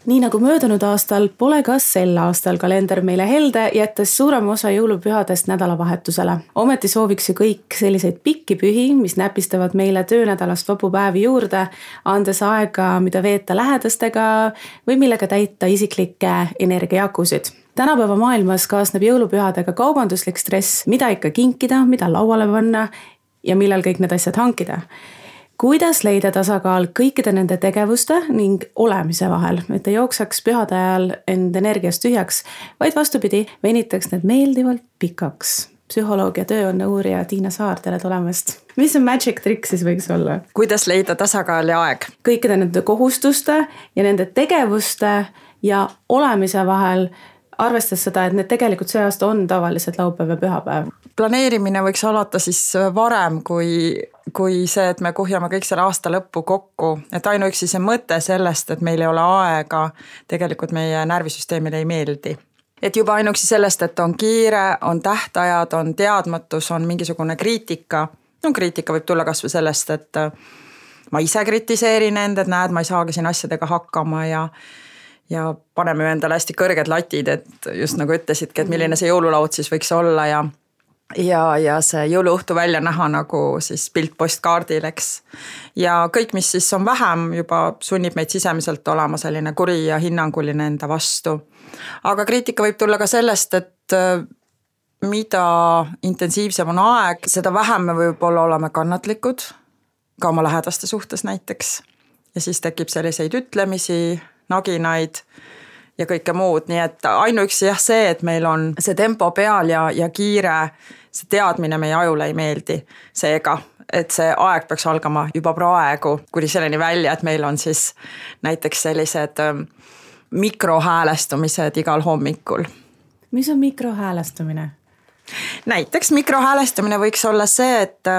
Nii nagu möödunud aastal, pole ka sel aastal kalender meile helde, jättes suurema osa jõulupühadest nädalavahetusele. Ometi sooviks ju kõik selliseid pikki pühi, mis näpistavad meile töönädalast vabu päevi juurde, andes aega, mida veeta lähedastega või millega täita isiklikke energiajakusid. Tänapäeva maailmas kaasneb jõulupühadega kaubanduslik stress, mida ikka kinkida, mida lauale panna ja millal kõik need asjad hankida. Kuidas leida tasakaal kõikide nende tegevuste ning olemise vahel, et ei jooksaks pühade ajal end energiast tühjaks, vaid vastupidi, venitaks need meeldivalt pikaks. Psühholoogia tööonne uurija Tiina Saar, tere tulemast. Mis on magic trick siis võiks olla? Kuidas leida tasakaal ja aeg? Kõikide nende kohustuste ja nende tegevuste ja olemise vahel, arvestades seda, et need tegelikult see aasta on tavaliselt laupäev ja pühapäev. Planeerimine võiks alata siis varem kui see, et me kuhjame kõik selle aasta lõppu kokku. Et ainuüksi see mõte sellest, et meil ei ole aega, tegelikult meie närvisüsteemile ei meeldi. Et juba ainuüksi sellest, et on kiire, on tähtajad, on teadmatus, on mingisugune kriitika. No kriitika võib tulla kas või sellest, et ma ise kritiseerin end, et näed, ma ei saagi siin asjadega hakkama ja paneme endale hästi kõrged latid, et just nagu ütlesidki, et milline see jõululaud siis võiks olla ja see jõuluõhtu välja näha nagu siis pilt postkaardil, eks. Ja kõik, mis siis on vähem, juba sunnib meid sisemiselt olema selline kuri ja hinnanguline enda vastu. Aga kriitika võib tulla ka sellest, et mida intensiivsem on aeg, seda vähem me võib-olla oleme kannatlikud, ka oma lähedaste suhtes näiteks. Ja siis tekib selliseid ütlemisi, naginaid ja kõike muud, nii et ainuüksi see, et meil on see tempo peal ja kiire, see teadmine meie ajule ei meeldi. Seega, et see aeg peaks algama juba praegu, kuni selleni välja, et meil on siis näiteks sellised mikrohäälestumised igal hommikul. Mis on mikrohäälestumine? Näiteks mikrohäälestumine võiks olla see, et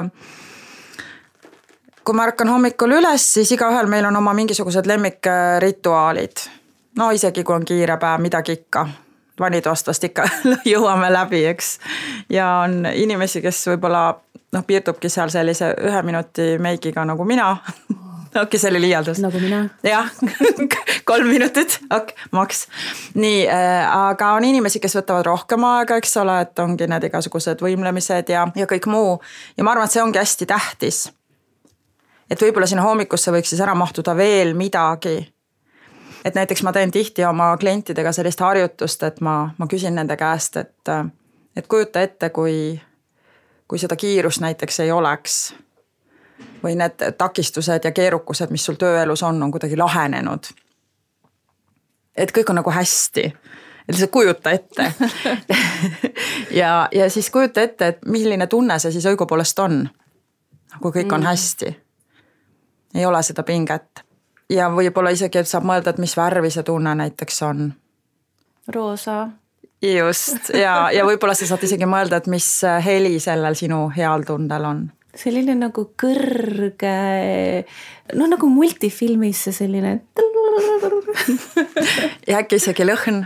kui ma ärkan hommikul üles, siis igaühel meil on oma mingisugused lemmikrituaalid. No isegi kui on kiire päev, midagi ikka. Vanitoast vast ikka jõuame läbi, eks. Ja on inimesi, kes võib-olla piirdubki seal sellise 1 minuti meigiga nagu mina. Okei, see oli liialdus. Nagu mina. Jah, 3 minutit, maks. Nii, aga on inimesi, kes võtavad rohkem aega, eks ole, et ongi need igasugused võimlemised ja kõik muu. Ja ma arvan, et see ongi hästi tähtis. Et võib-olla sinna hommikusse võiks siis ära mahtuda veel midagi. Et näiteks ma teen tihti oma klientidega sellist harjutust, et ma küsin nende käest, et kujuta ette, kui seda kiirust näiteks ei oleks või need takistused ja keerukused, mis sul tööelus on kuidagi lahenenud. Et kõik on nagu hästi. Et lihtsalt kujuta ette. ja siis kujuta ette, et milline tunne see siis õigupoolest on, kui kõik on hästi. Ei ole seda pinget. Ja võib-olla isegi, et saab mõelda, et mis värvi see tunne näiteks on. Roosa. Just, ja võib-olla sa saad isegi mõelda, et mis heli sellel sinu heal tundel on. Selline nagu kõrge, nagu multifilmis see selline. Ja äkki isegi lõhn.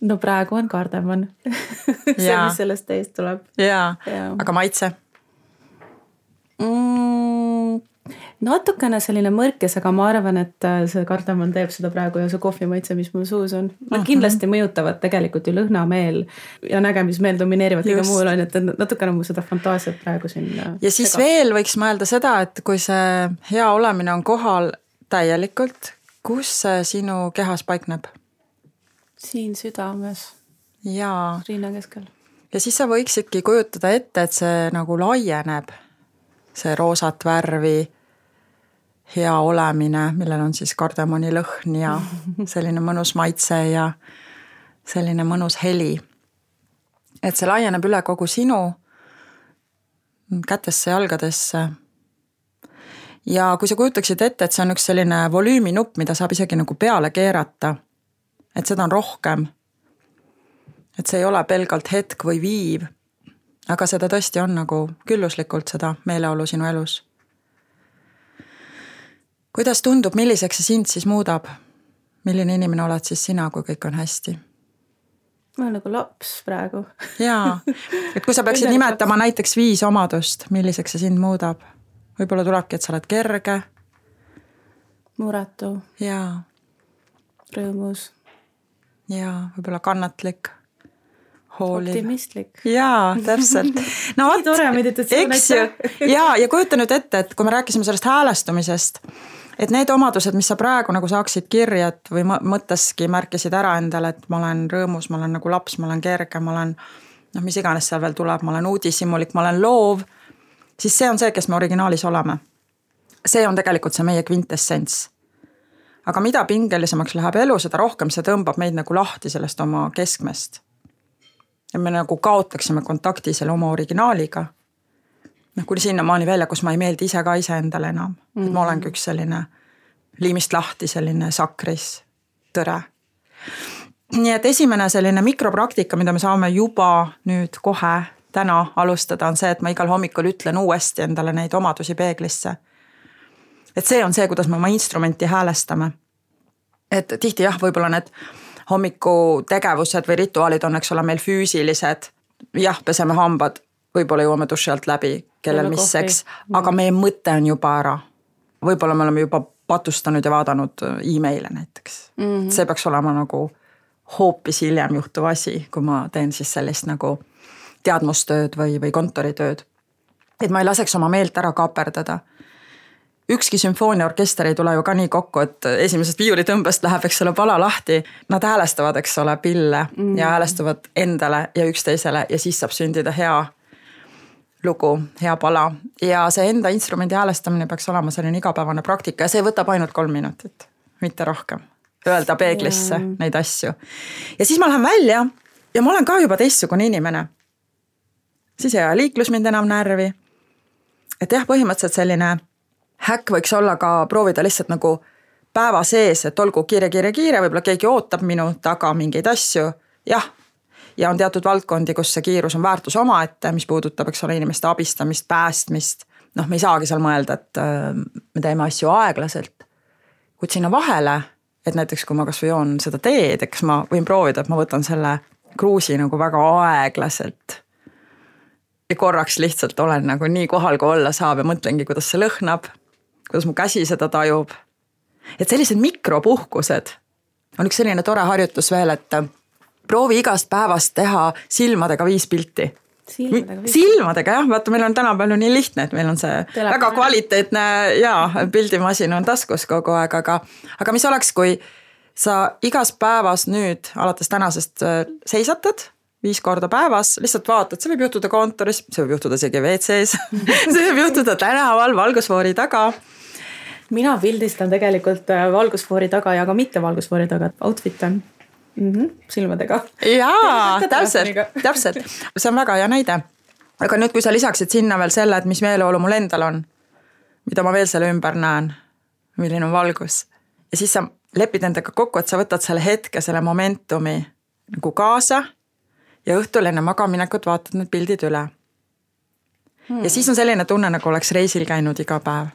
No praegu on kardemon. See, mis sellest teist tuleb. Ja. Aga maitse? Natukene selline mõrkes, aga ma arvan, et see kardamon teeb seda praegu ja see kohvimaitse, mis mul suus on. Kindlasti mõjutavad tegelikult ju lõhnameel ja nägemismeel domineerivad kõige muul on, et natukene mu seda fantaasiat praegu siin. Ja siis veel võiks mõelda seda, et kui see hea olemine on kohal täielikult, kus see sinu kehas paikneb? Siin südames. Ja. Riina keskel. Ja siis sa võiksidki kujutada ette, et see nagu laieneb. See roosat värvi, hea olemine, millel on siis kardemoni lõhn ja selline mõnus maitse ja selline mõnus heli. Et see laieneb üle kogu sinu kätesse, jalgadesse. Ja kui sa kujutaksid ette, et see on üks selline volüüminupp, mida saab isegi nagu peale keerata, et seda on rohkem. Et see ei ole pelgalt hetk või viiv, aga seda tõesti on nagu külluslikult seda meeleolu sinu elus. Kuidas tundub, milliseks see sind siis muudab? Milline inimene oled siis sina, kui kõik on hästi? Ma olen nagu laps praegu. Jaa, et kui sa peaksid nimetama näiteks 5 omadust, milliseks see sind muudab? Võib-olla tulebki, et sa oled kerge. Muretu. Jaa. rõõmus. Ja võib-olla kannatlik, hooliv. Optimistlik. Jaa, täpselt. No nii tore meditatsioon. Eks ju. Ja kujuta nüüd ette, et kui me rääkisime sellest häälestumisest, et need omadused, mis sa praegu nagu saaksid kirja või mõtteski märkisid ära endale, et ma olen rõõmus, ma olen nagu laps, ma olen kerge, ma olen mis iganes seal veel tuleb, ma olen uudishimulik, ma olen loov, siis see on see, kes me originaalis oleme. See on tegelikult see meie kvintessents. Aga mida pingelisemaks läheb elu, seda rohkem see tõmbab meid nagu lahti sellest oma keskmest. Ja me nagu kaotaksime kontakti selle oma originaaliga. Kuni sinna maani välja, kus ma ei meeldi ise ka iseendale enam. Et ma olengi üks selline liimist lahti, selline sakris tõre. Nii et esimene selline mikropraktika, mida me saame juba nüüd kohe täna alustada, on see, et ma igal hommikul ütlen uuesti endale neid omadusi peeglisse. Et see on see, kuidas me oma instrumenti häälestame. Et tihti jah, võib-olla need hommiku tegevused või rituaalid on, eks ole, meil füüsilised. Jah, peseme hambad, võib-olla jõuame duši alt läbi, kellel misseks, aga meie mõte on juba ära. Võib-olla me oleme juba patustanud ja vaadanud e-maile näiteks. See peaks olema nagu hoopis hiljem juhtuv asi, kui ma teen siis sellist nagu teadmustööd või kontoritööd. Et ma ei laseks oma meelt ära kaperdada. Ükski sümfooniaorkester ei tule ju ka nii kokku, et esimesest viiulitõmbest läheb, eks ole, pala lahti. Nad häälestavad, eks ole, pille ja häälestavad endale ja üksteisele ja siis saab sündida hea lugu, hea pala. Ja see enda instrumendi häälestamine peaks olema selline igapäevane praktika ja see võtab ainult 3 minutit, mitte rohkem. Öelda peeglisse neid asju. Ja siis ma lähen välja ja ma olen ka juba teistsugune inimene. Siis ei liiklus mind enam närvi. Et jah, põhimõtteliselt selline häkk võiks olla ka proovida lihtsalt nagu päeva sees, et olgu kiire, võib-olla keegi ootab minu taga mingeid asju. Jah, ja on teatud valdkondi, kus see kiirus on väärtus omaette, mis puudutab, eks ole, inimeste abistamist, päästmist. Me ei saagi seal mõelda, et me teeme asju aeglaselt. Kuid sinna vahele, et näiteks kui ma kas või joon seda teed, eks ma võin proovida, et ma võtan selle kruusi nagu väga aeglaselt. Ja korraks lihtsalt olen nagu nii kohal, kui olla saab ja mõtlengi, kuidas see lõhnab, kuidas mu käsi seda tajub. Et sellised mikropuhkused on üks selline tore harjutus veel, et proovi igast päevast teha silmadega 5 pilti. Silmadega, jah, vaata, meil on tänapäeval nii lihtne, et meil on see väga kvaliteetne pildimasin on taskus kogu aeg, aga mis oleks, kui sa igas päevas nüüd alates tänasest seisatad 5 korda päevas, lihtsalt vaatad, see võib juhtuda kontoris, see võib juhtuda isegi WC-s, see võib juhtuda tänaval valgusfoori taga. Mina pildistan tegelikult valgusfoori taga ja ka mitte valgusfoori taga outfit on silmadega. Jaa, täpselt. See on väga hea näide. Aga nüüd, kui sa lisaksid sinna veel selle, et mis meeleolu mul endal on, mida ma veel selle ümber näen, milline on valgus. Ja siis sa lepid endaga kokku, et sa võtad selle hetke, selle momentumi nagu kaasa ja õhtul enne magaminekut vaatad need pildid üle. Ja siis on selline tunne, nagu oleks reisil käinud iga päev.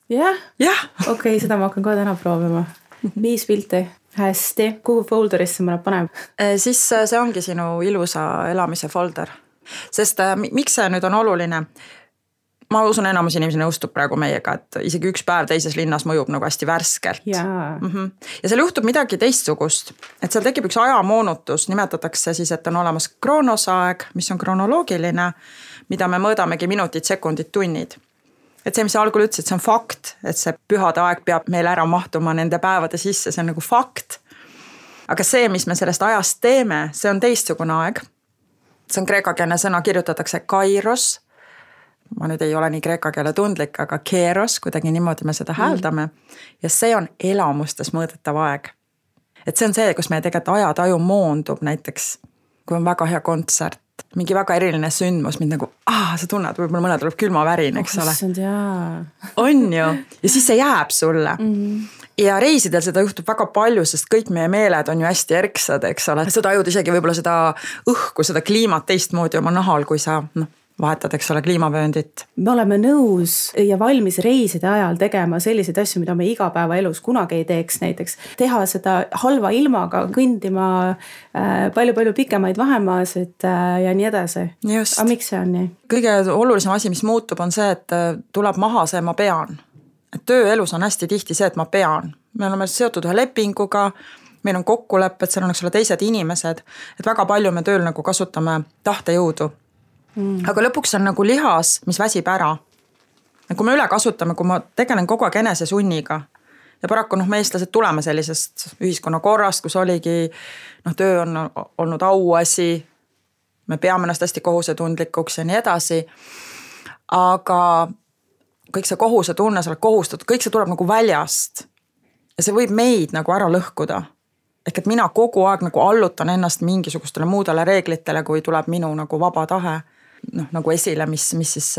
Jah? Okei, seda ma hakkan kohe täna proovima. 5 pilti. Hästi. Kuhu folderisse ma nad paneb? Siis see ongi sinu ilusa elamise folder. Sest miks see nüüd on oluline? Ma usun, enamus inimesi nõustub praegu meiega, et isegi 1 päev teises linnas mõjub nagu hästi värskelt. Ja seal juhtub midagi teistsugust. Et seal tekib üks ajamoonutus, nimetatakse siis, et on olemas kroonosaeg, mis on kronoloogiline, mida me mõõdamegi minutid, sekundid, tunnid. Et see, mis sa algul ütlesid, see on fakt, et see pühade aeg peab meil ära mahtuma nende päevade sisse, see on nagu fakt. Aga see, mis me sellest ajast teeme, see on teistsugune aeg. See on kreekakeelne sõna, kirjutatakse kairos. Ma nüüd ei ole nii kreeka keele tundlik, aga keeros, kuidagi niimoodi me seda hääldame. Ja see on elamustes mõõdetav aeg. Et see on see, kus meie tegelikult ajataju moondub näiteks, kui on väga hea kontsert. Mingi väga eriline sündmus, mind nagu, sa tunned, võib-olla mõne tuleb külmavärin, eks ole. On ju. Ja siis see jääb sulle. Ja reisidel seda juhtub väga palju, sest kõik meie meeled on ju hästi erksad, eks ole. Sa tajud isegi võib-olla seda õhku, seda kliimat teistmoodi oma nahal, kui sa vahetad, eks ole, kliimavööndit. Me oleme nõus ja valmis reiside ajal tegema selliseid asju, mida me igapäeva elus kunagi ei teeks, näiteks teha seda halva ilmaga, kõndima palju-palju pikemaid vahemaasid ja nii edasi. Just. Aga miks see on nii? Kõige olulisem asi, mis muutub, on see, et tuleb maha see ma pean. Et tööelus on hästi tihti see, et ma pean. Me oleme seotud ühe lepinguga, meil on kokkulepped, seal on eks ole teised inimesed, et väga palju me tööl nagu kasutame tahtejõudu. Aga lõpuks on nagu lihas, mis väsib ära. Ja kui me üle kasutame, kui ma tegelen kogu aeg enesesunniga ja paraku me eestlased tuleme sellisest ühiskonna korrast, kus oligi, töö on olnud auasi, me peame ennast hästi kohusetundlikuks ja nii edasi, aga kõik see kohusetunne, sa oled kohustatud, kõik see tuleb nagu väljast ja see võib meid nagu ära lõhkuda. Ehk et mina kogu aeg nagu allutan ennast mingisugustele muudele reeglitele, kui tuleb minu nagu vaba tahe nagu esile, mis siis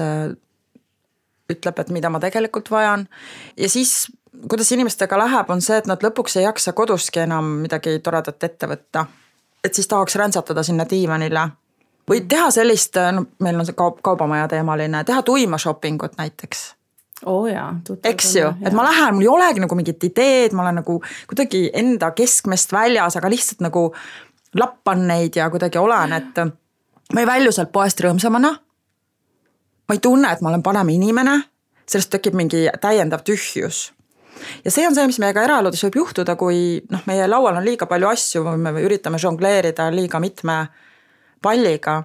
ütleb, et mida ma tegelikult vajan. Ja siis, kuidas inimestega läheb, on see, et nad lõpuks ei jaksa koduski enam midagi toredat ette võtta. Et siis tahaks räntsatada sinna diivanile. Või teha sellist, meil on see kaubamaja teemaline, teha tuima shoppingut näiteks. Eks ju, et ma lähen, mul ei olegi nagu mingit ideed, ma olen nagu kuidagi enda keskmest väljas, aga lihtsalt nagu lappan neid ja kuidagi olen, et ma ei välju sealt poest rõõmsamana. Ma ei tunne, et ma olen parem inimene, sellest tekib mingi täiendav tühjus. Ja see on see, mis meiega eraeludes võib juhtuda, kui meie laual on liiga palju asju või me üritame žongleerida liiga mitme palliga.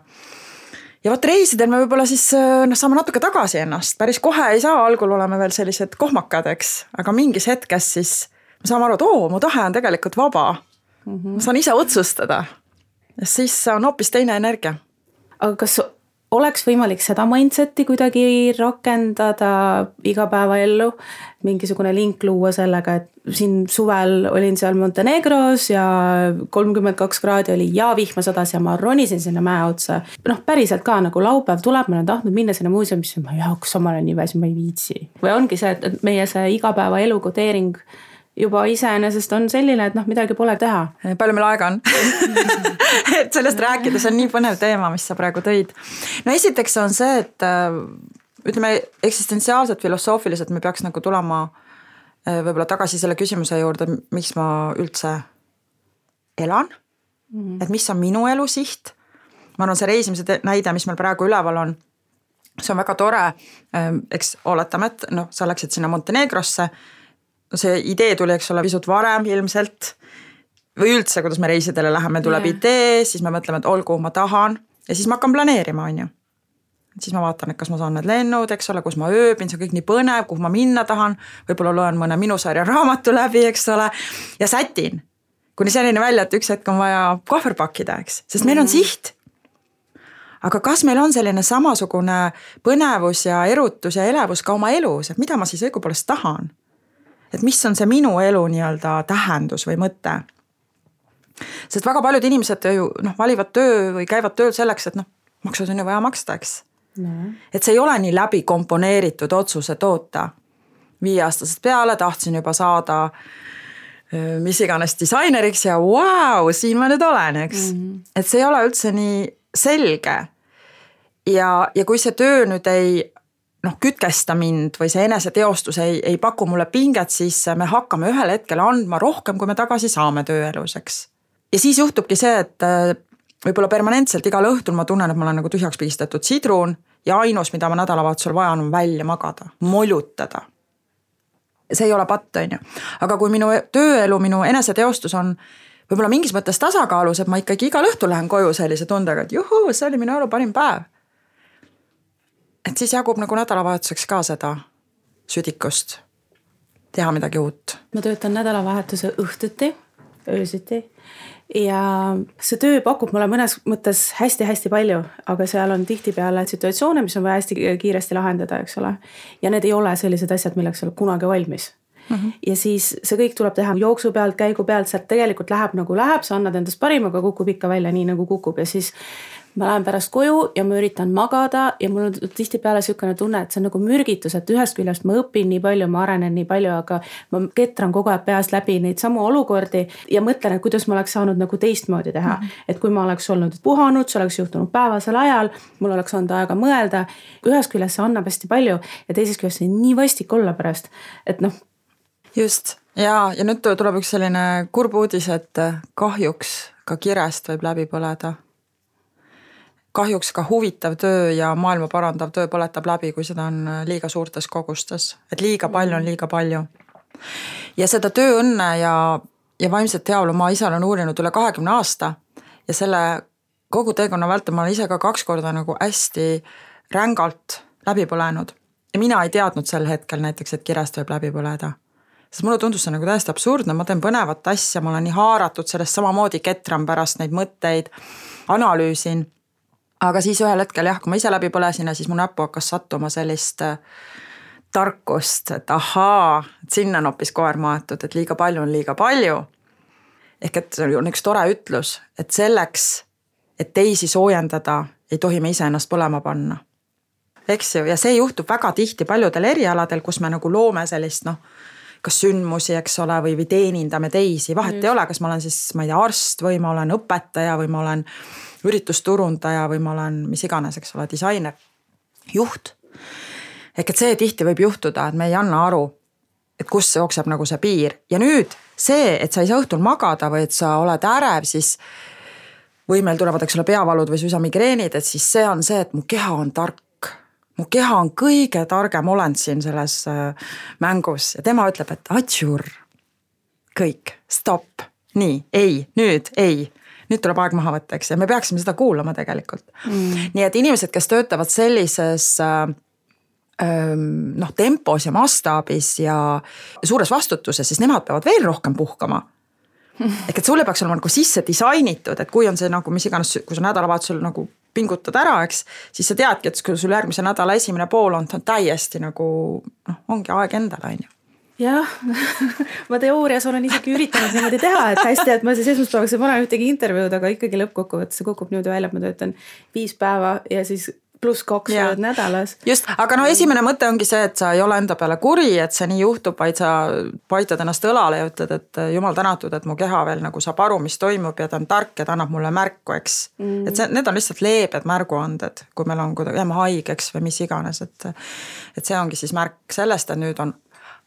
Ja võt reisidel me võib-olla siis saame natuke tagasi ennast. Päris kohe ei saa, algul oleme veel sellised kohmakad, eks. Aga mingis hetkes siis me saame aru, et mu tahe on tegelikult vaba. Ma saan ise otsustada. Ja siis on hoopis teine energia. Aga kas oleks võimalik seda mindseti kuidagi rakendada igapäevaellu, mingisugune link luua sellega, et siin suvel olin seal Montenegros ja 32 kraadi oli ja vihma sadas ja ma ronisin sinna mäe otsa. Päriselt ka nagu laupäev tuleb, ma olen tahtnud minna sinna muuseumisse, ma jaoks ma olen nii väsi, ma ei viitsi. Või ongi see, et meie see igapäevaelu kodeering juba iseenesest on selline, et midagi pole teha. Palju meil aega on? Et sellest rääkides on nii põnev teema, mis sa praegu tõid. Esiteks on see, et ütleme eksistentsiaalselt, filosoofiliselt me peaks nagu tulema võib-olla tagasi selle küsimuse juurde, miks ma üldse elan, et mis on minu elu siht. Ma arvan, see reisimise näide, mis meil praegu üleval on, see on väga tore, eks oletame, et sa läksid sinna Montenegrosse, see idee tuli, eks ole, pisut varem ilmselt või üldse, kuidas me reisidele läheme, tuleb idee, siis me mõtleme, et olgu, ma tahan ja siis ma hakkan planeerima, on ju. Siis ma vaatan, et kas ma saan need lennud, eks ole, kus ma ööbin, see on kõik nii põnev, kuhu ma minna tahan, võib-olla loen mõne minu sarja raamatu läbi, eks ole, ja sätin. Kuni selline välja, et üks hetk on vaja kohver pakkida, eks, sest meil on siht. Aga kas meil on selline samasugune põnevus ja erutus ja elevus ka oma elus, et mida ma siis õigupoolest tahan? Et mis on see minu elu nii-öelda tähendus või mõte. Sest väga paljud inimesed ju valivad töö või käivad tööl selleks, et maksud on ju vaja maksta, eks. Et see ei ole nii läbi komponeeritud otsuse toota. 5-aastasest peale tahtsin juba saada mis iganes disaineriks ja siin ma nüüd olen, eks. Et see ei ole üldse nii selge. Ja kui see töö nüüd ei kütkesta mind või see eneseteostus ei paku mulle pinget, siis me hakkame ühel hetkel andma rohkem, kui me tagasi saame tööelus, eks. Ja siis juhtubki see, et võib-olla permanentselt igal õhtul ma tunnen, et ma olen nagu tühjaks pigistatud sidrun ja ainus, mida ma nädalavahetusel vajan, on välja magada, molutada. See ei ole patt, on ju. Aga kui minu tööelu, minu eneseteostus on võib-olla mingis mõttes tasakaalus, et ma ikkagi igal õhtul lähen koju sellise tundega, et juhu, see oli minu elu parim päev. Et siis jagub nagu nädalavahetuseks ka seda südikust, teha midagi uut. Ma töötan nädalavahetuse õhtuti, öösiti ja see töö pakub mulle mõnes mõttes hästi-hästi palju, aga seal on tihtipeale situatsioone, mis on vaja hästi kiiresti lahendada, eks ole. Ja need ei ole sellised asjad, milleks olen kunagi valmis. Ja siis see kõik tuleb teha jooksu pealt, käigu pealt, sealt tegelikult läheb nagu läheb, sa annad endast parim, aga kukub ikka välja nii nagu kukub ja siis ma lähen pärast koju ja ma üritan magada ja mul on tihtipeale niisugune tunne, et see on nagu mürgitus, et ühest küljest ma õpin nii palju, ma arenen nii palju, aga ma ketran kogu aeg peast läbi neid samu olukordi ja mõtlen, et kuidas ma oleks saanud nagu teistmoodi teha. Et kui ma oleks olnud puhanud, see oleks juhtunud päevasel ajal, mul oleks olnud aega mõelda, ühest küljest see annab hästi palju ja teisest küljest see nii vastik olla pärast, et Just, ja nüüd tuleb üks selline kurb uudis, et kahjuks ka kirest võib läbi põleda. Kahjuks ka huvitav töö ja maailma parandav töö põletab läbi, kui seda on liiga suurtes kogustes. Et liiga palju on liiga palju. Ja seda tööõnne ja ja vaimset heaolu ma ise olen uurinud üle 20 aasta ja selle kogu teekonna vältel ma olen ise ka 2 korda nagu hästi rängalt läbi põlenud. Ja mina ei teadnud sel hetkel näiteks, et kirest võib läbi põleda. Sest mulle tundus see nagu täiesti absurdne, ma teen põnevat asja, ma olen nii haaratud sellest samamoodi ketran pärast neid mõtteid, analüüsin. Aga siis ühel hetkel jah, kui ma ise läbi põlesin ja siis mu näppu hakkas sattuma sellist tarkust, et ahaa, et sinna on hoopis koer maetud, et liiga palju on liiga palju. Ehk et see on üks tore ütlus, et selleks, et teisi soojendada, ei tohi me ise ennast põlema panna. Eks ju, ja see juhtub väga tihti paljudel erialadel, kus me nagu loome sellist, kas sündmusi, eks ole, või teenindame teisi. Vahet ei ole, kas ma olen siis, ma ei tea, arst või ma olen õpetaja või ma olen üritusturundaja või ma olen mis iganes, eks ole, disainer, juht. Ehk et see tihti võib juhtuda, et me ei anna aru, et kus jookseb nagu see piir. Ja nüüd see, et sa ei saa õhtul magada või et sa oled ärev, siis või meil tulevad, eks ole, peavalud või suisa migreenid, et siis see on see, et mu keha on tark. Mu keha on kõige targem olend siin selles mängus ja tema ütleb, et atšur, kõik, stopp, nii, ei, nüüd tuleb aeg maha võtta, eks, ja me peaksime seda kuulama tegelikult. Nii et inimesed, kes töötavad sellises tempos ja mastaabis ja suures vastutuses, siis nemad peavad veel rohkem puhkama. Ehk et sulle peaks olema nagu sisse disainitud, et kui on see nagu mis iganes, kui sa nädalavahetusel nagu pingutad ära, eks, siis sa teadki, et kui sul järgmise nädala esimene pool on täiesti nagu, ongi aeg endale, on ju. Jah, ma teoorias olen isegi üritanud niimoodi teha, et hästi, et ma siis esmaspäevaks ei pane ühtegi intervjuud, aga ikkagi lõppkokkuvõttes see kukub niimoodi välja, et ma töötan 5 päeva ja siis +2 nädalas. Just, aga esimene mõte ongi see, et sa ei ole enda peale kuri, et see nii juhtub, vaid sa paitad ennast õlale ja ütled, et jumal tänatud, et mu keha veel nagu saab aru, mis toimub ja ta on tark ja ta annab mulle märku, eks. Et need on lihtsalt leebed märguanded, kui meil on jääme haigeks või mis iganes, et see ongi siis märk sellest, et nüüd on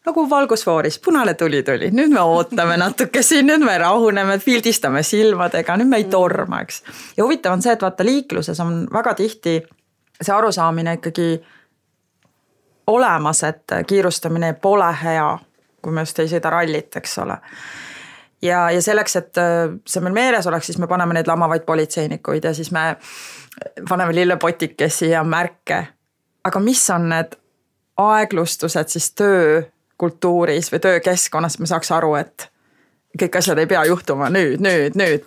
nagu valgusfooris, punane tuli, nüüd me ootame natuke siin, nüüd me rahuneme, pildistame silmadega, nüüd me ei torma, eks. Ja huvitav on see, et vaata liikluses on väga tihti see arusaamine ikkagi olemas, et kiirustamine pole hea, kui me just ei sõida rallit, eks ole. Ja selleks, et see meil meeles oleks, siis me paneme neid lamavaid politseinikuid ja siis me paneme lillepotikesi ja märke. Aga mis on need aeglustused siis töökultuuris või töökeskkonnas, me saaks aru, et kõik asjad ei pea juhtuma nüüd,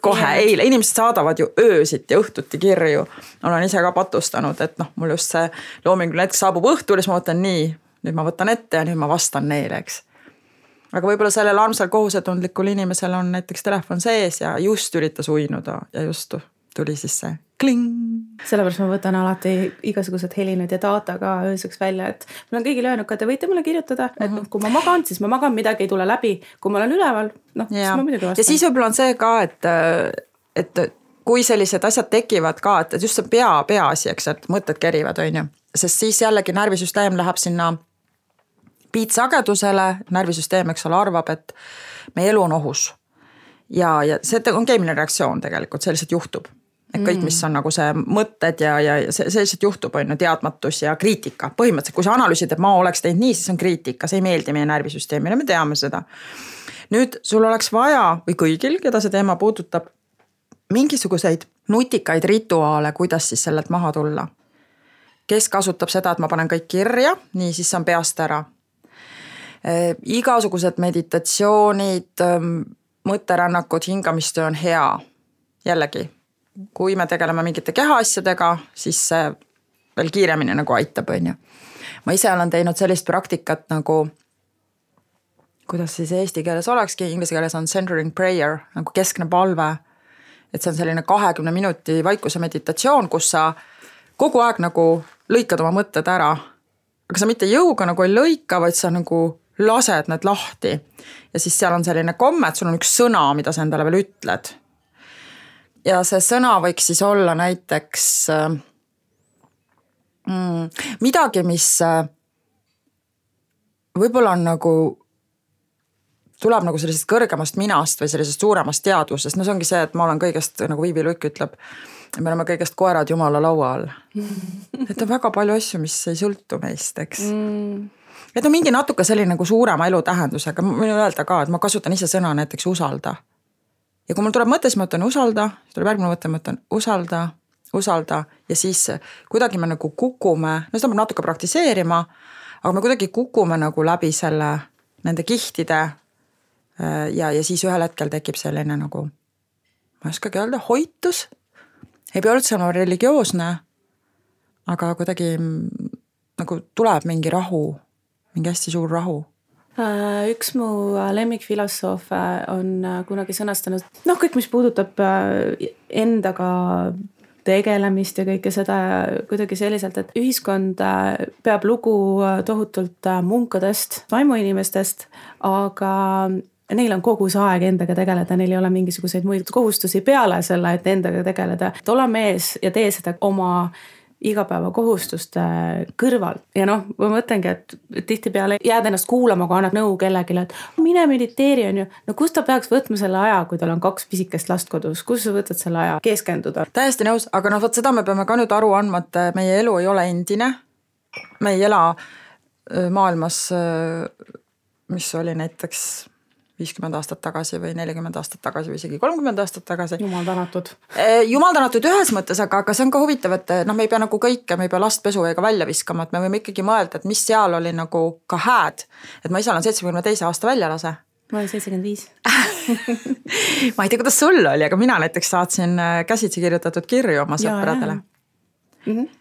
kohe, eile. Inimesed saadavad ju öösit ja õhtuti kirju. Olen ise ka patustanud, et mul just see loominguline hetk saabub õhtul ja siis ma võtan nii, nüüd ma võtan ette ja nüüd ma vastan neile, eks. Aga võib-olla sellel armsal kohusetundlikul inimesel on näiteks telefon sees ja just üritas uinuda ja just tuli siis see kling. Sellepärast ma võtan alati igasugused helinud ja data ka ööseks välja, et mul on kõigil öelnud, et te võite mulle kirjutada, et kui ma magan, siis ma magan, midagi ei tule läbi. Kui ma olen üleval, siis ma muidugi vastan. Ja siis võib-olla on see ka, et kui sellised asjad tekivad ka, et just see peaasi, eks, et mõtted kerivad, on ju. Sest siis jällegi närvisüsteem läheb sinna piitsagedusele, närvisüsteem, eks ole, arvab, et meie elu on ohus. Ja see on keemiline reaktsioon tegelikult, see lihtsalt juhtub. Et kõik, mis on nagu see mõtted ja see lihtsalt juhtub, on teadmatus ja kriitika. Põhimõtteliselt, kui sa analüüsid, et ma oleks teinud nii, siis on kriitika, see ei meeldi meie närvisüsteemile, me teame seda. Nüüd sul oleks vaja, või kõigil, keda see teema puudutab, mingisuguseid nutikaid rituaale, kuidas siis sellelt maha tulla. Kes kasutab seda, et ma panen kõik kirja, nii siis on peast ära. Igasugused meditatsioonid, mõtterännakud, hingamistöö on hea. Jällegi, kui me tegeleme mingite kehaasjadega, siis see veel kiiremini nagu aitab, on ju. Ma ise olen teinud sellist praktikat nagu, kuidas siis eesti keeles olekski, inglise keeles on centering prayer, nagu keskne palve. Et see on selline 20 minuti vaikuse meditatsioon, kus sa kogu aeg nagu lõikad oma mõtted ära. Aga sa mitte jõuga nagu ei lõika, vaid sa nagu lased need lahti. Ja siis seal on selline komme, et sul on üks sõna, mida sa endale veel ütled. Ja see sõna võiks siis olla näiteks midagi, mis võib-olla on nagu, tuleb nagu sellisest kõrgemast minast või sellisest suuremast teadvusest. See ongi see, et ma olen kõigest, nagu Viivi Luik ütleb, me oleme kõigest koerad Jumala laua all. Et on väga palju asju, mis ei sõltu meist, eks. et no mingi natuke selline nagu suurema elutähendusega, ma võin öelda ka, et ma kasutan ise sõna näiteks usalda. Ja kui mul tuleb mõte, siis ma ütlen usalda, siis tuleb järgmine mõte, ma ütlen usalda ja siis kuidagi me nagu kukume, no seda peab natuke praktiseerima, aga me kuidagi kukume nagu läbi selle, nende kihtide ja siis ühel hetkel tekib selline nagu, ma ei oskagi öelda, hoitus, ei pea üldse olema religioosne, aga kuidagi nagu tuleb mingi rahu, mingi hästi suur rahu. Üks mu lemmikfilosoof on kunagi sõnastanud, kõik, mis puudutab endaga tegelemist ja kõike seda kuidagi selliselt, et ühiskond peab lugu tohutult munkadest, vaimuinimestest, aga neil on kogu see aeg endaga tegeleda, neil ei ole mingisuguseid muid kohustusi peale selle, et endaga tegeleda. Et ole mees ja tee seda oma igapäeva kohustuste kõrval. Ja ma mõtlengi, et tihtipeale jääd ennast kuulama, kui annad nõu kellegile, et mine mediteeri on ju. No kus ta peaks võtma selle aja, kui tal on 2 pisikest last kodus? Kus sa võtad selle aja keskenduda? Täiesti nõus, aga võt seda me peame ka nüüd aru andma, et meie elu ei ole endine. Me ei ela maailmas, mis oli näiteks 50 aastat tagasi või 40 aastat tagasi või isegi 30 aastat tagasi. Jumal tänatud. Jumal tänatud ühes mõttes, aga see on ka huvitav, et me ei pea nagu kõike, me ei pea last pesuveega välja viskama, et me võime ikkagi mõelda, et mis seal oli nagu ka hääd. Et ma isal on 72 aasta väljalase. Ma olen 75. Ma ei tea, kuidas sul oli, aga mina näiteks saatsin käsitsi kirjutatud kirju oma sõpradele.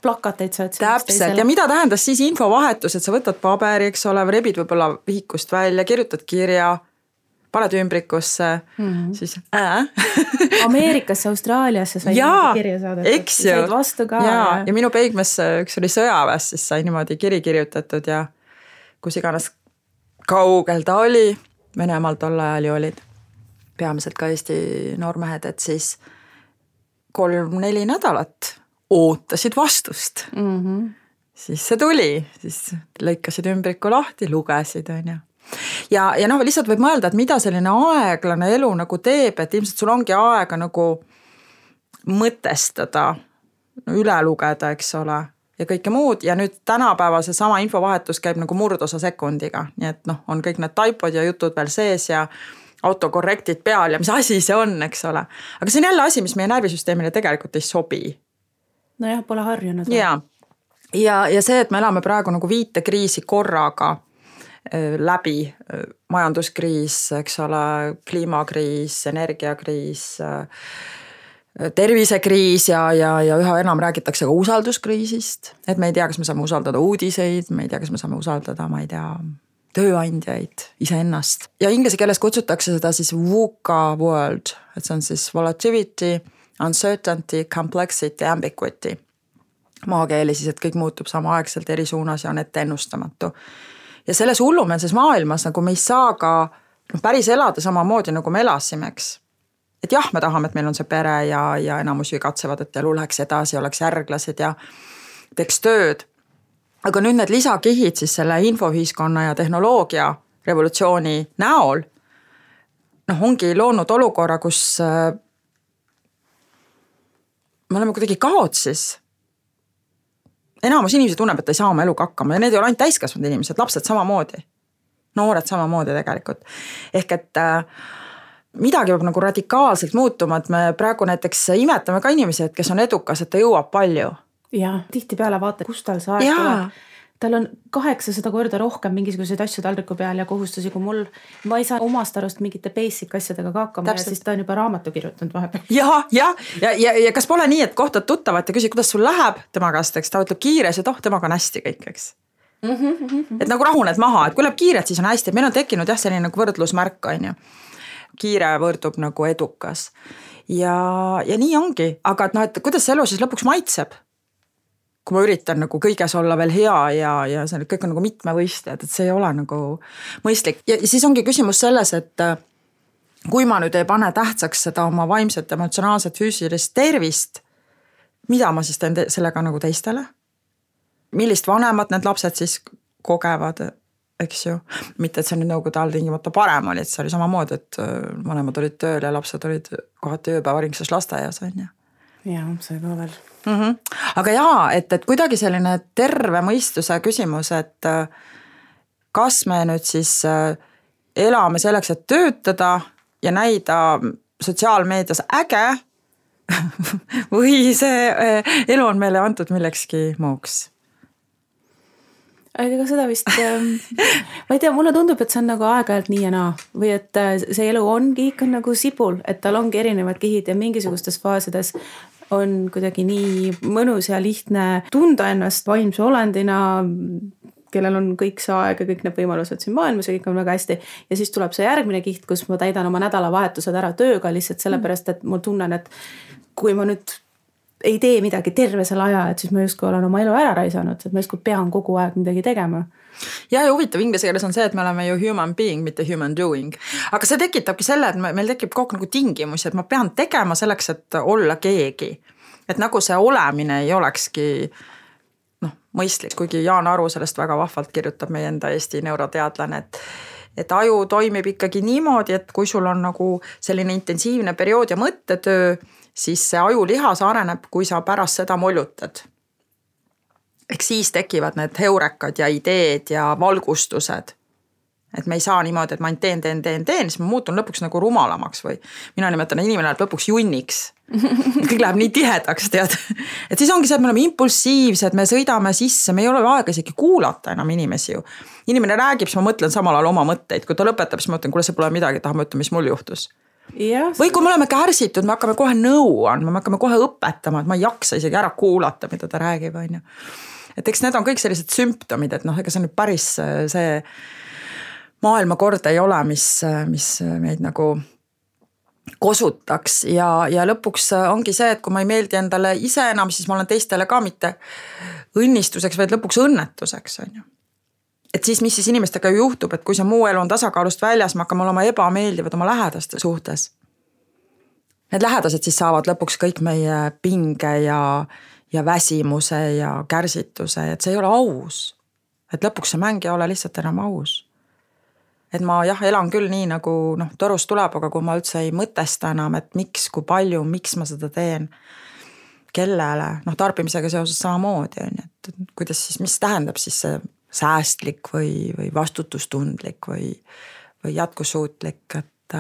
Plakateid saad. Täpselt, ja mida tähendas siis infovahetus, et sa võtad paberi, eks ole, rebid võib-olla vihikust välja, kirjutad kirja, paned ümbrikusse, siis Ameerikasse, Austraaliasse sai kirja saada. Eks ju. Said vastu ka. Ja minu peigmes üks oli sõjaväes, siis sai niimoodi kiri kirjutatud ja kus iganes kaugel ta oli, Venemaal tol ajal ju olid peamiselt ka Eesti noormehed, et siis 3-4 nädalat ootasid vastust. Siis see tuli, siis lõikasid ümbriku lahti, lugesid, on ju. Ja lihtsalt võib mõelda, et mida selline aeglane elu nagu teeb, et ilmselt sul ongi aega nagu mõtestada, üle lugeda, eks ole, ja kõike muud. Ja nüüd tänapäeva see sama infovahetus käib nagu murdosa sekundiga. Nii et on kõik need taipod ja jutud veel sees ja autokorrektid peal ja mis asi see on, eks ole. Aga see on jälle asi, mis meie närvisüsteemile tegelikult ei sobi. Nojah, pole harjunud. Ja see, et me elame praegu nagu 5 kriisi korraga läbi, majanduskriis, eks ole, kliimakriis, energiakriis, tervisekriis ja üha enam räägitakse ka usalduskriisist, et me ei tea, kas me saame usaldada uudiseid, me ei tea, kas me saame usaldada, ma ei tea, tööandjaid, iseennast. Ja inglise keeles kutsutakse seda siis VUCA world, et see on siis volatility, uncertainty, complexity, ambiguity. Maakeeli siis, et kõik muutub samaaegselt eri suunas ja on ette ennustamatu. Ja selles hullumeelses maailmas nagu me ei saa ka päris elada samamoodi, nagu me elasime, eks. Et jah, me tahame, et meil on see pere ja enamus ju katsevad, et elu läheks edasi, oleks järglased ja teeks tööd. Aga nüüd need lisakihid siis selle infoühiskonna ja tehnoloogia revolutsiooni näol ongi loonud olukorra, kus me oleme kuidagi kaotsis. Enamus inimesi tunneb, et ei saa oma eluga hakkama ja need ei ole ainult täiskasvanud inimesed, lapsed samamoodi, noored samamoodi tegelikult. Ehk et midagi peab nagu radikaalselt muutuma, et me praegu näiteks imetame ka inimesi, kes on edukas, et ta jõuab palju. Ja tihti peale vaata, kus tal see aeg tuleb. Tal on 800 korda rohkem mingisuguseid asju taldriku peal ja kohustusi kui mul. Ma ei saa omast arust mingite basic asjadega ka hakkama. Ja siis ta on juba raamatu kirjutanud vahepeal. Ja kas pole nii, et kohtad tuttavat ja küsid, kuidas sul läheb tema käest, eks ta ütleb kiires ja temaga on hästi kõik, eks. Et nagu rahuned maha, et kui läheb kiiret, siis on hästi. Et meil on tekkinud selline nagu võrdlusmärk, on ju. Kiire võrdub nagu edukas. Ja nii ongi. Aga et kuidas see elu siis lõpuks maitseb? Kui ma üritan nagu kõiges olla veel hea ja see kõik on nagu mitmevõistlejad, et see ei ole nagu mõistlik. Ja siis ongi küsimus selles, et kui ma nüüd ei pane tähtsaks seda oma vaimset, emotsionaalset, füüsilist tervist, mida ma siis teen sellega nagu teistele? Millist vanemad need lapsed siis kogevad, eks ju? Mitte, et see nüüd nõukogude all tingimata parem oli, et see oli samamoodi, et vanemad olid tööl ja lapsed olid kohati ööpäevaringses lasteaias, on ju. Ja, see ka veel. Aga et kuidagi selline terve mõistuse küsimus, et kas me nüüd siis elame selleks, et töötada ja näida sotsiaalmeedias äge või see elu on meile antud millekski muuks? Ega seda vist, ma ei tea, mulle tundub, et see on nagu aeg-ajalt nii ja naa või et see elu ongi ikka nagu sibul, et tal ongi erinevad kihid ja mingisugustes faasides on kuidagi nii mõnus ja lihtne tunda ennast vaimse olendina, kellel on kõik see aeg ja kõik need võimalused siin maailmas ja kõik on väga hästi. Ja siis tuleb see järgmine kiht, kus ma täidan oma nädalavahetused ära tööga lihtsalt sellepärast, et ma tunnen, et kui ma nüüd ei tee midagi terve selle aja, et siis ma justkui olen oma elu ära raisanud, et ma justkui pean kogu aeg midagi tegema. Ja huvitav inglise keeles on see, et me oleme ju human being, mitte human doing. Aga see tekitabki selle, et meil tekib kogu nagu tingimusi, et ma pean tegema selleks, et olla keegi. Et nagu see olemine ei olekski mõistlik, kuigi Jaan Aru sellest väga vahvalt kirjutab meie enda Eesti neuroteadlane, et aju toimib ikkagi niimoodi, et kui sul on nagu selline intensiivne periood ja mõttetöö, siis see ajulihas areneb, kui sa pärast seda mollutad. Ehk siis tekivad need heurekad ja ideed ja valgustused. Et me ei saa niimoodi, et ma teen, siis ma muutun lõpuks nagu rumalamaks või mina nimetan, inimene läheb lõpuks junniks. Kõik läheb nii tihedaks, tead. Et siis ongi see, et me oleme impulsiivsed, me sõidame sisse, me ei ole aega isegi kuulata enam inimesi ju. Inimene räägib, siis ma mõtlen samal ajal oma mõtteid, kui ta lõpetab, siis ma mõtlen, kuule see pole midagi, tahame ütelda, mis mul juhtus. Või kui me oleme kärsitud, me hakkame kohe nõu andma, me hakkame kohe õpetama, et ma ei jaksa isegi ära kuulata, mida ta räägib, on ju. Et eks need on kõik sellised sümptomid, et ega see nüüd päris see maailmakord ei ole, mis meid nagu kosutaks ja lõpuks ongi see, et kui ma ei meeldi endale ise enam, siis ma olen teistele ka mitte õnnistuseks, vaid lõpuks õnnetuseks, on ju. Et siis, mis siis inimestega juhtub, et kui see muu elu on tasakaalust väljas, me hakkame olema ebameeldivad oma lähedaste suhtes. Need lähedased siis saavad lõpuks kõik meie pinge ja väsimuse ja kärsituse, et see ei ole aus. Et lõpuks see mäng ei ole lihtsalt enam aus. Et ma elan küll nii nagu torust tuleb, aga kui ma üldse ei mõtesta enam, et miks, kui palju, miks ma seda teen, kellele, tarbimisega seoses samamoodi, et kuidas siis, mis tähendab siis see säästlik või vastutustundlik või jätkusuutlik, et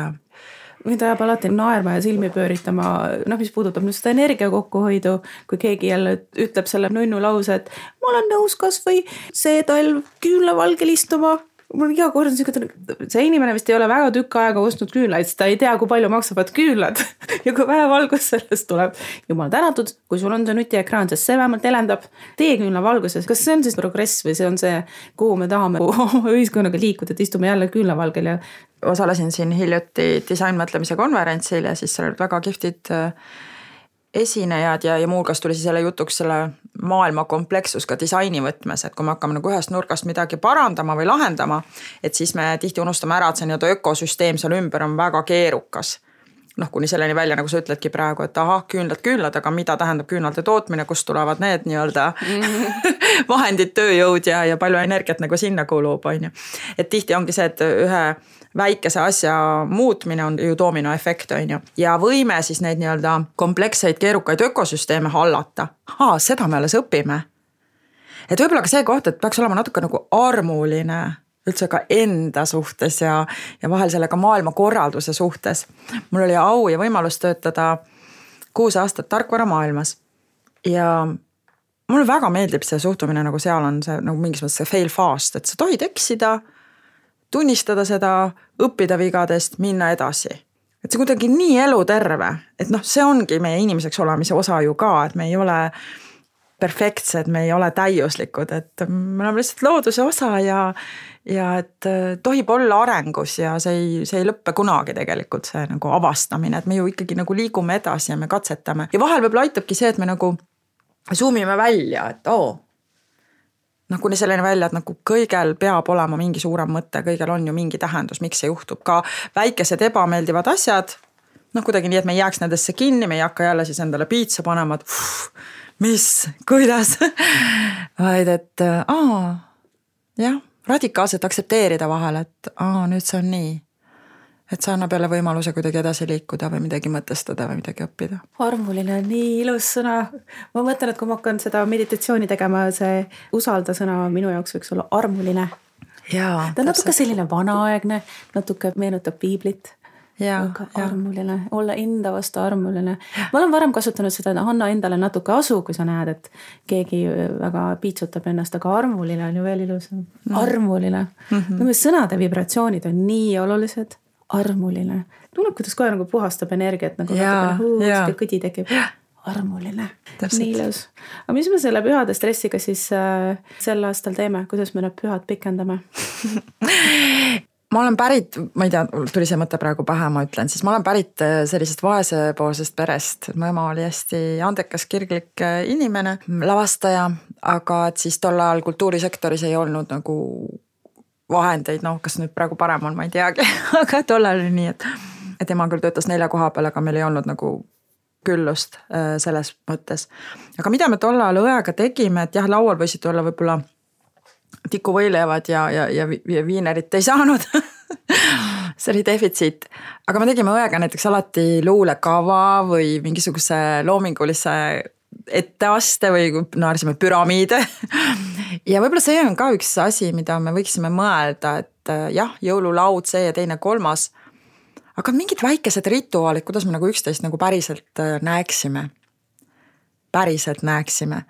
mida jääb alati naerma ja silmi pööritama, mis puudutab nüüd seda energia kokkuhoidu, kui keegi jälle ütleb selle nunnu lause, et ma olen nõus kas või see talv küünlavalgel istuma. Mul iga kord on see inimene vist ei ole väga tükk aega ostnud küünlaid, ta ei tea, kui palju maksavad küünlad ja kui vähe valgus sellest tuleb. Jumal tänatud, kui sul on see nutiekraan, sest see vähemalt elendab tee küünla valguses. Kas see on siis progress või see on see, kuhu me tahame ühiskonnaga liikuda, et istume jälle küünlavalgel ja osalesin siin hiljuti disainmõtlemise konverentsil ja siis seal olid väga kihvtid esinejad ja muuhulgas tuli siis selle jutuks selle maailma komplekssus ka disaini võtmes, et kui me hakkame nagu ühest nurgast midagi parandama või lahendama, et siis me tihti unustame ära, et see nii-öelda ökosüsteem seal ümber on väga keerukas. Kuni selleni välja, nagu sa ütledki praegu, et küünlad, aga mida tähendab küünlade tootmine, kust tulevad need nii-öelda vahendid, tööjõud ja palju energiat nagu sinna kulub, on ju. Et tihti ongi see, et ühe väikese asja muutmine on ju dominoefekt, on ju. Ja võime siis neid nii-öelda komplekseid, keerukaid ökosüsteeme hallata. Seda me alles õpime. Et võib-olla ka see koht, et peaks olema natuke nagu armuline üldse ka enda suhtes ja vahel sellega maailmakorralduse suhtes. Mul oli au ja võimalus töötada 6 aastat tarkvaramaailmas ja mulle väga meeldib see suhtumine, nagu seal on see nagu mingis mõttes see fail fast, et sa tohid eksida, tunnistada seda, õppida vigadest, minna edasi. Et see kuidagi nii eluterve, et see ongi meie inimeseks olemise osa ju ka, et me ei ole perfektsed, me ei ole täiuslikud, et me oleme lihtsalt looduse osa ja et tohib olla arengus ja see ei lõppe kunagi tegelikult see nagu avastamine, et me ju ikkagi nagu liigume edasi ja me katsetame. Ja vahel võib-olla aitabki see, et me nagu zoomime välja, et kuni selline välja, et nagu kõigel peab olema mingi suurem mõte, kõigel on ju mingi tähendus, miks see juhtub. Ka väikesed ebameeldivad asjad, kuidagi nii, et me ei jääks nendesse kinni, me ei hakka jälle siis endale piitsa panema, et mis, kuidas, vaid et radikaalselt aksepteerida vahel, et nüüd see on nii. Et see annab jälle võimaluse kuidagi edasi liikuda või midagi mõtestada või midagi õppida. Armuline on nii ilus sõna. Ma mõtlen, et kui ma hakkan seda meditatsiooni tegema, see usalda sõna minu jaoks võiks olla armuline. Jaa, ta on natuke selline vanaaegne, natuke meenutab piiblit. Aga armuline, olla enda vastu armuline. Ma olen varem kasutanud seda, anna endale natuke asu, kui sa näed, et keegi väga piitsutab ennast, aga armuline on ju veel ilus. Armuline. Sõnade vibratsioonid on nii olulised. Armuline. Tunneb, kuidas kohe nagu puhastab energiat, nagu natuke kõdi tekib. Armuline. Nii ilus. Aga mis me selle pühade stressiga siis sel aastal teeme? Kuidas me need pühad pikendame? Ma olen pärit, ma ei tea, tuli see mõte praegu pähe, ma ütlen, siis ma olen pärit sellisest vaesepoolsest perest. Mu ema oli hästi andekas, kirglik inimene, lavastaja, aga et siis tol ajal kultuurisektoris ei olnud nagu vahendeid, kas nüüd praegu parem on, ma ei teagi, aga tol ajal oli nii, et ema küll töötas 4 koha peal, aga meil ei olnud nagu küllust selles mõttes. Aga mida me tol ajal õega tegime, et jah, laual võisid olla võib-olla tikuvõilevad ja viinerit ei saanud. See oli defitsiit. Aga me tegime õega näiteks alati luulekava või mingisuguse loomingulise etteaste või naersime püramiide. Ja võib-olla see on ka üks asi, mida me võiksime mõelda, et jah, jõululaud, see ja teine, kolmas. Aga mingid väikesed rituaalid, kuidas me nagu üksteist nagu päriselt näeksime. Päriselt näeksime.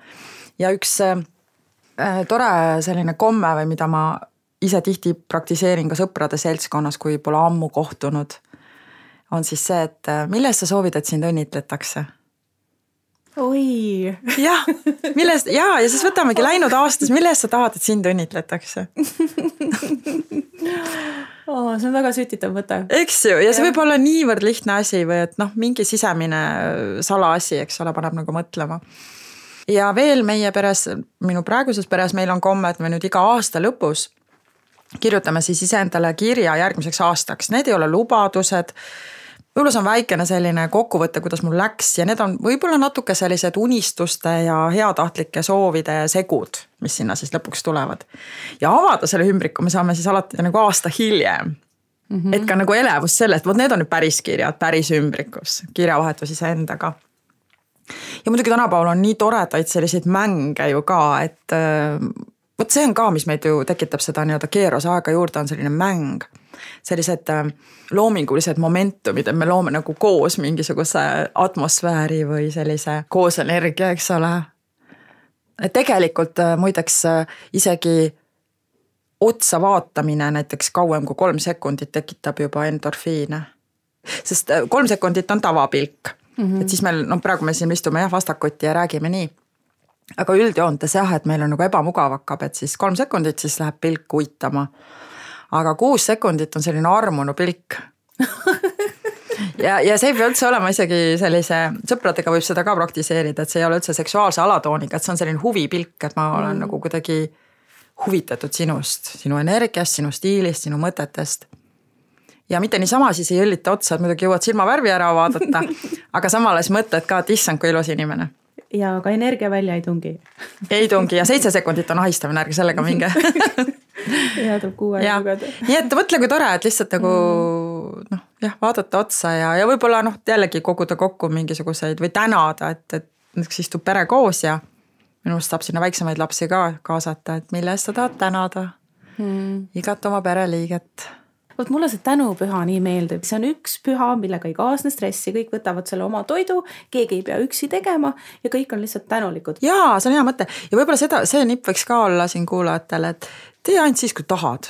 Ja üks tore selline komme või mida ma ise tihti praktiseerin ka sõprade seltskonnas, kui pole ammu kohtunud, on siis see, et millest sa soovid, et sind õnnitletakse? Oi! Ja siis võtamegi läinud aastas, millest sa tahad, et sind õnnitletakse? See on väga sütitav mõte. Eks ju, ja see võib olla niivõrd lihtne asi või et mingi sisemine salaasi, eks ole, paneb nagu mõtlema. Ja veel meie peres, minu praeguses peres meil on komme, et me nüüd iga aasta lõpus kirjutame siis iseendale kirja järgmiseks aastaks. Need ei ole lubadused, võib-olla see on väikene selline kokkuvõte, kuidas mul läks ja need on võib-olla natuke sellised unistuste ja heatahtlike soovide segud, mis sinna siis lõpuks tulevad. Ja avada selle ümbriku me saame siis alati nagu aasta hiljem. Et ka nagu elevus selle, et need on nüüd päris kirjad, päris ümbrikus, kirjavahetus iseendaga. Ja muidugi tänapäeval on nii toredaid selliseid mänge ju ka, et võt see on ka, mis meid ju tekitab seda nii-öelda keeros aega juurde, on selline mäng. Sellised loomingulised momentumid, et me loome nagu koos mingisuguse atmosfääri või sellise koos energia, eks ole. Tegelikult muideks isegi otsa vaatamine näiteks kauem kui 3 sekundit tekitab juba endorfiine. Sest 3 sekundit on tavapilk. Et siis meil, praegu me siin istume vastakuti ja räägime nii. Aga üldjoontes et meil on nagu ebamugav hakkab, et siis 3 sekundit siis läheb pilk uitama. Aga 6 sekundit on selline armunu pilk. ja see ei pea üldse olema isegi sellise, sõpradega võib seda ka praktiseerida, et see ei ole üldse seksuaalse alatooniga, et see on selline huvipilk, et ma olen nagu kuidagi huvitatud sinust, sinu energiast, sinu stiilist, sinu mõtetest. Ja mitte niisama siis ei õllita otsa, et muidugi jõuad silmavärvi ära vaadata, aga samales mõtled ka, et issand, kui ilus inimene. Ja ka energia välja ei tungi. Ei tungi ja 7 sekundit on ahistavine, ärge sellega minge. Ja tuleb 6 aega lugeda. Nii et mõtle, kui tore, et lihtsalt nagu vaadata otsa ja võib-olla jällegi koguda kokku mingisuguseid või tänada, et näiteks istub pere koos ja minust saab sinna väiksemaid lapsi ka kaasata, et mille eest sa tahad tänada igat oma pereliiget. Vot mulle see tänupüha nii meeldib. See on üks püha, millega ei kaasne stressi. Kõik võtavad selle oma toidu, keegi ei pea üksi tegema ja kõik on lihtsalt tänulikud. Jaa, see on hea mõte. Ja võib-olla see nipp võiks ka olla siin kuulajatele, et tee ainult siis, kui tahad.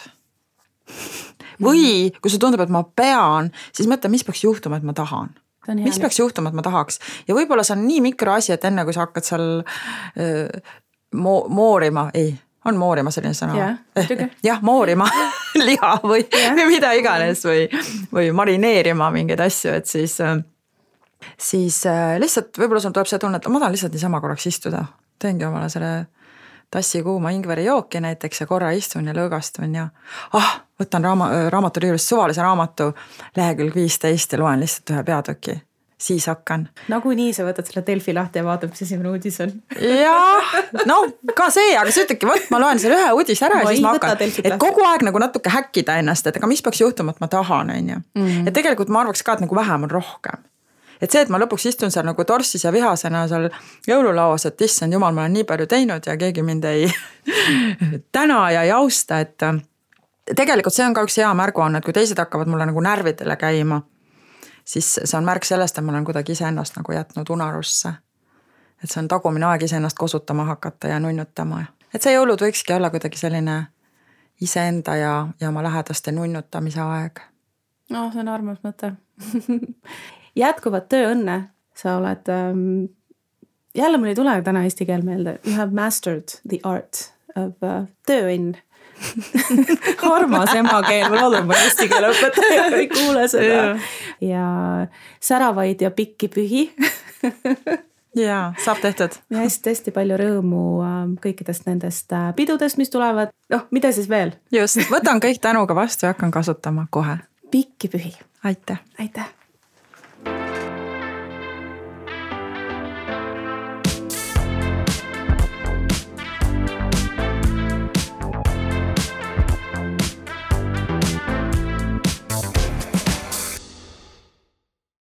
Või kui see tundub, et ma pean, siis mõtle, mis peaks juhtuma, et ma tahan. Mis peaks juhtuma, et ma tahaks. Ja võib-olla see on nii mikroasi, et enne kui sa hakkad seal moorima, on moorima selline sõna. Jah, moorima liha või mida iganes või marineerima mingeid asju, et siis lihtsalt võib-olla sul tuleb see tunne, et ma tahan lihtsalt niisama korraks istuda. Teengi omale selle tassi kuuma ingveri jooki näiteks ja korra istun ja lõõgastun ja võtan raamatu riiulist suvalise raamatu lehekülg 15 ja loen lihtsalt ühe peatüki. Siis hakkan. Nagu nii sa võtad selle Delfi lahti ja vaatab, mis esimene uudis on. Jah, ka see, aga sa ütlegi, ma loen selle ühe uudis ära ja siis ma hakkan, et kogu aeg nagu natuke häkkida ennast, et aga mis peaks juhtuma, et ma tahan, on ju. Et tegelikult ma arvaks ka, et nagu vähem on rohkem. Et see, et ma lõpuks istun seal nagu torssis ja vihasena seal jõululauas, et issand jumal, ma olen nii palju teinud ja keegi mind ei täna ja ei austa, et tegelikult see on ka üks hea märguanne, et kui teised hakkavad mulle nagu närvidele käima, siis see on märk sellest, et ma olen kuidagi iseennast nagu jätnud unarusse. Et see on tagumine aeg iseennast kosutama hakata ja nunnutama. Et see jõulud võikski olla kuidagi selline iseenda ja oma lähedaste nunnutamise aeg. No, see on armas mõte. Jätkuvat tööõnne. Sa oled, jälle mul ei tule täna eesti keel meelde. You have mastered the art of tööõnn. Armas emakeel, ma loodan, ma eesti keele õpetaja ei kuule seda. Ja säravaid ja pikki pühi. Jaa, saab tehtud. Ja hästi palju rõõmu kõikidest nendest pidudest, mis tulevad. Mida siis veel? Just, võtan kõik tänuga vastu ja hakkan kasutama kohe. Pikki pühi. Aitäh. Aitäh.